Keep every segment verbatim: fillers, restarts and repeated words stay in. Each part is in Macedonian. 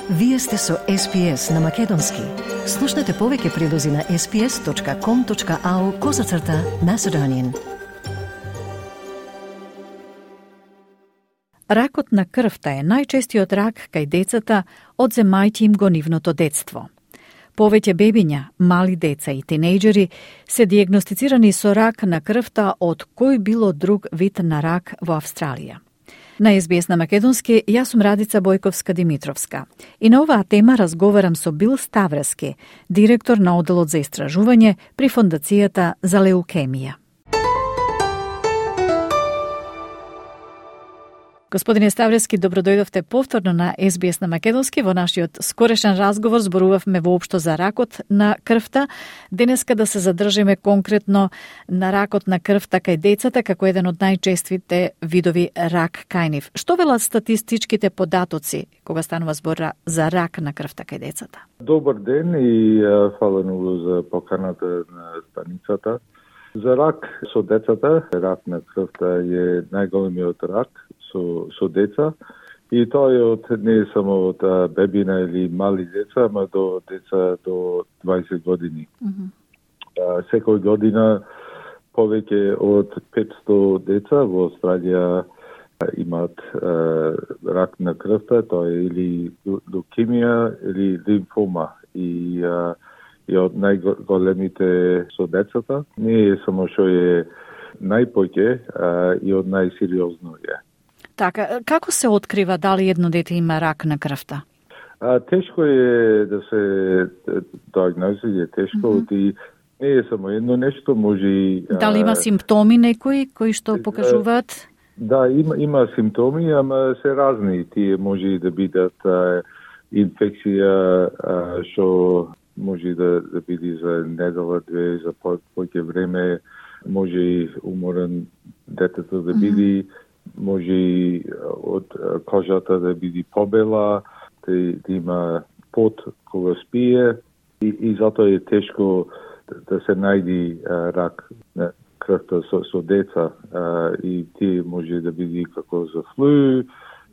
Вие сте со Ес Пи Ес на Македонски. Слушнете повеќе прилози на ес пи ес точка ком точка ау козацрта Macedonian. Ракот на крвта е најчестиот рак кај децата од земајќи им го нивното детство. Повеќе бебиња, мали деца и тинејџери се дијагностицирани со рак на крвта од кој било друг вид на рак во Австралија. На Ес Би Ес на Македонски, јас сум Радица Бојковска-Димитровска. И на оваа тема разговарам со Бил Ставрески, директор на Оделот за истражување при Фондацијата за леукемија. Господине Ставрески, добродојдовте повторно на Ес Би Ес на Македонски. Во нашиот скорешен разговор зборувавме воопшто за ракот на крвта. Денеска да се задржиме конкретно на ракот на крвта кај децата како еден од најчестите видови рак кај нив. Што велат статистичките податоци кога станува збор за рак на крвта кај децата? Добар ден и фала многу за поканата на станицата. За рак со децата, рак на крвта е најголемиот рак со, со деца и тоа е од не е само од бебина или мали деца, ама до деца до дваесет години. Mm-hmm. А, секој година повеќе од петсто деца во Австралија имаат а, рак на крвта, тоа е или леукемија или лимфома и а, и од најголемите со децата. Не е само што е најпоќе, а и од најсериозно е. Така, како се открива дали едно дете има рак на крвта? А, тешко е да се диагнози, е тешко, mm-hmm. и не е само едно нешто, може и... Дали има симптоми некои кои што покажуваат? Да, има, има симптоми, ама се разни. Тие може да бидат а, инфекција, а, што може да, да биде за недела, две, за по, поќе време, може и уморен детето да биде, mm-hmm. може и од кожата да биде побела, да, да има пот кога спие и, и затоа е тешко да се најди а, рак на крвта со, со деца а, и тие може да биде како за флу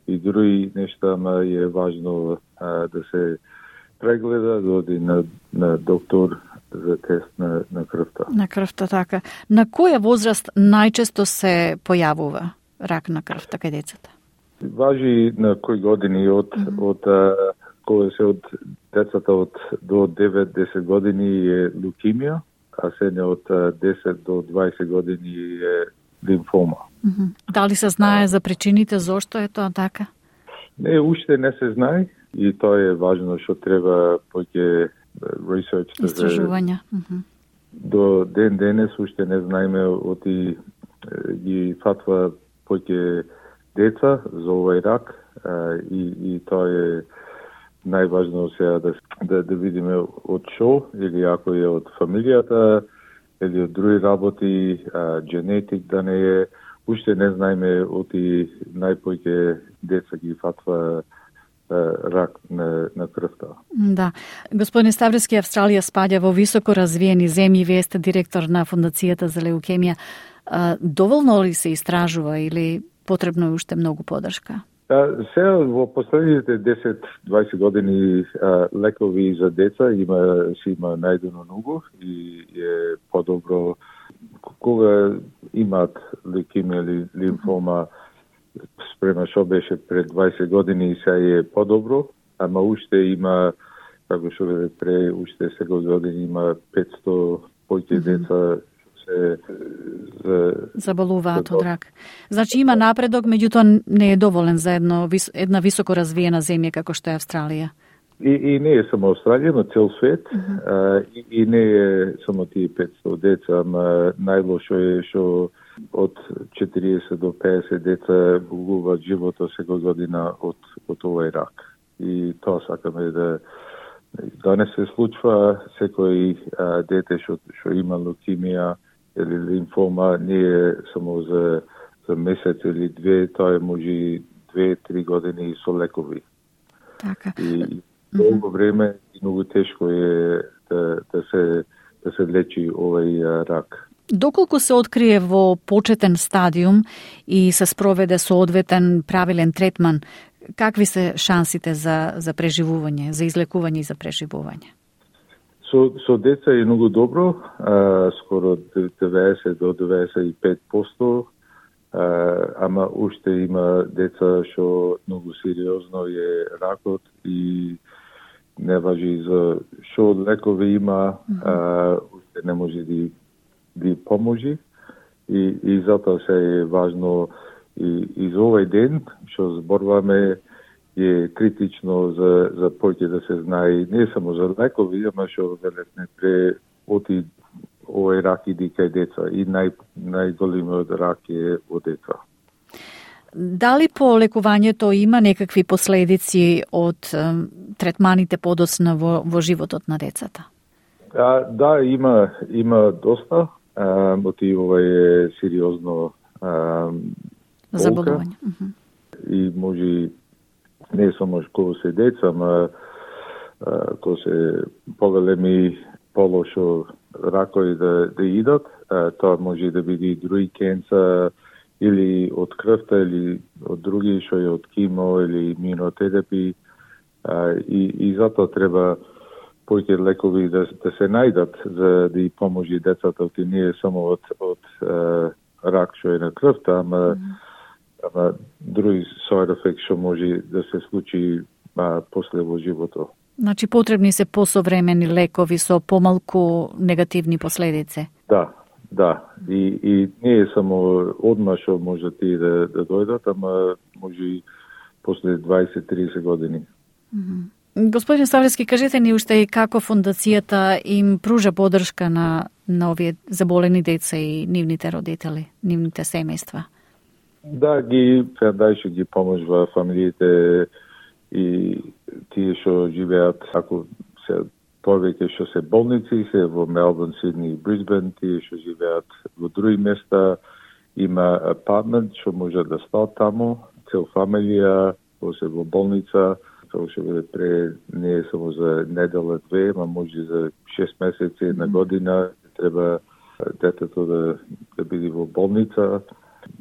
и други нешта, ама е важно а, да се прегледа, да оди на, на доктор за тест на, на крвта. На крвта, така. На која возраст најчесто се појавува рак на крвта кај децата? Важи на кој години од mm-hmm. од а, кога се од децата од до девет-десет години е леукемија, а се не од десет до дваесет години е лимфома. Mm-hmm. Дали се знае за причините зошто е тоа така? Не, уште не се знае и тоа е важно што треба поќе research да истражувања. Mm-hmm. До ден денес уште не знаеме оти ги фатва поќе деца за овој рак а, и, и тоа е најважно сега да, да, да видиме од шо, или ако е од фамилијата, или од други работи, а, генетик да не е, уште не знаеме оти најпоќе деца ги фатва рак на, на крвта. Да. Господин Ставрески, Австралија спаѓа во високо развиени земји, вие сте директор на Фондацијата за леукемија. Доволно ли се истражува или потребно е уште многу подршка? А, сега во последните десет-дваесет години а, лекови за деца има си има најдено многу и е подобро кога имаат леукемија или лимфома спрема што беше пред дваесет години и сега е подобро, ама уште има, како што ве пре, уште секој години има петсто поќе mm-hmm. деца се за, заболуваат од рак. Значи има напредок, меѓутоа не е доволен за едно, една високо развиена земја како што е Австралија. И, и не е само Австралија, но цел свет. Mm-hmm. А, и, и не е само тие петсто деца, ама најлошо е што од четириесет до педесет деца губуваат животот секој година од, од овој рак. И тоа сакаме да да не се случва секој а, дете што што има леукемија или лимфома не е само за за месец или две, тоа е може две-три години со лекови. Така. И долго време и многу тешко е да, да се да се лечи овој рак. Доколку се открие во почетен стадиум и се спроведе соодветен правилен третман, какви се шансите за, за преживување, за излекување и за преживување? Со, со деца е многу добро, а, скоро деветдесет до деветдесет и пет проценти, а, ама уште има деца што многу сериозно е ракот и не важи за што лекови има, mm-hmm. а, уште не може да ви поможи и, и затоа се е важно и, и за овој ден што зборуваме е критично за, за повеќе да се знае не само за лекови, ама што велетне пре оти овој рак иди кај деца и нај, најголемиот рак е во деца. Дали по лекувањето има некакви последици од ем, третманите подоцна во, во животот на децата? А, да, има има доста. А, оти ова е сериозно а, заболување. И може не само кога се деца, ама кога се поголеми полошо ракови да, да идат, а, тоа може да биде и други кенца, или од крвта, или од други, што е од кимо, или имунотерапи. А, и, и затоа треба повеќе лекови да, да се најдат за да и поможи децата, оти не е само од, од а, рак што е на крвта, ама mm. ама други side effects што може да се случи а, после во животот. Значи потребни се посовремени лекови со помалку негативни последици. Да, да. И, и не е само одма што може ти да, да дојдат, ама може и после дваесет до тридесет години. Mm-hmm. Господин Ставлевски, кажете ни уште и како фондацијата им пружа поддршка на, на овие заболени деца и нивните родители, нивните семејства? Да, ги Фондајшн ги поможува фамилиите и тие што живеат, ако се повеќе што се болници, се во Мелбурн, Сидни и Брисбен, тие што живеат во други места, има апартмент што може да стаат таму, цел фамилија, се во болница, тоа што биде пре не е само за недела две, ама може за шест месеци, една година, треба детето да, да биде во болница.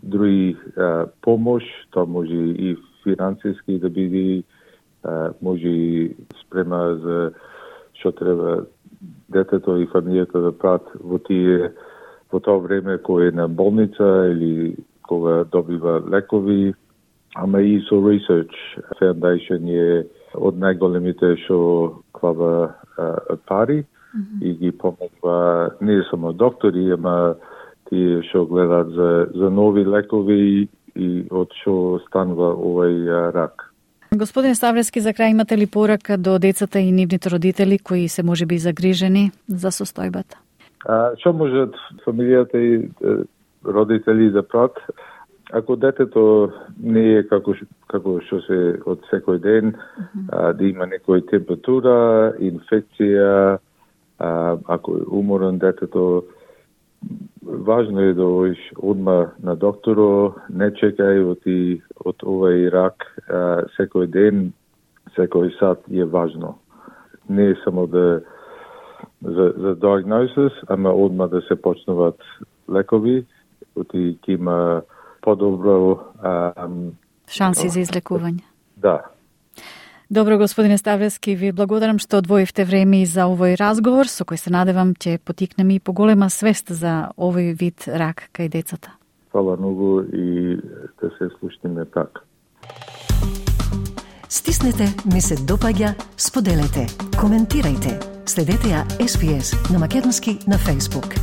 Други а, помош, тоа може и финансиски да биде, а, може и спрема за што треба детето и фамилијата да прават во тие во тоа време кога е на болница или кога добива лекови, ама и со research. Foundation е од најголемите што клава а, пари mm-hmm. и ги помогува не само доктори, ама тие што гледаат за, за нови лекови и од што станува овој а, рак. Господин Ставлевски, за крај имате ли порака до децата и нивните родители кои се можеби загрижени за состојбата? А, што можат фамилијата и родители да прават? Ако детето не е како како што се од секој ден, mm-hmm. а, да има некоја температура, инфекција, а, ако е уморен детето, важно е да одиш одма на докторо, не чекај од, од овој рак, а, секој ден, секој сат е важно. Не е само да за, за диагнозис, ама одма да се почнуваат лекови, оти ќе има подобро а, шанси за излекување. Да. Добро, господине Ставлевски, ви благодарам што одвоивте време и за овој разговор, со кој се надевам ќе потикнеме и поголема свест за овој вид рак кај децата. Фала многу и да се слушнеме така. Стиснете, ми се допаѓа, споделете, коментирајте. Следете ја Ес Би Ес на македонски на Facebook.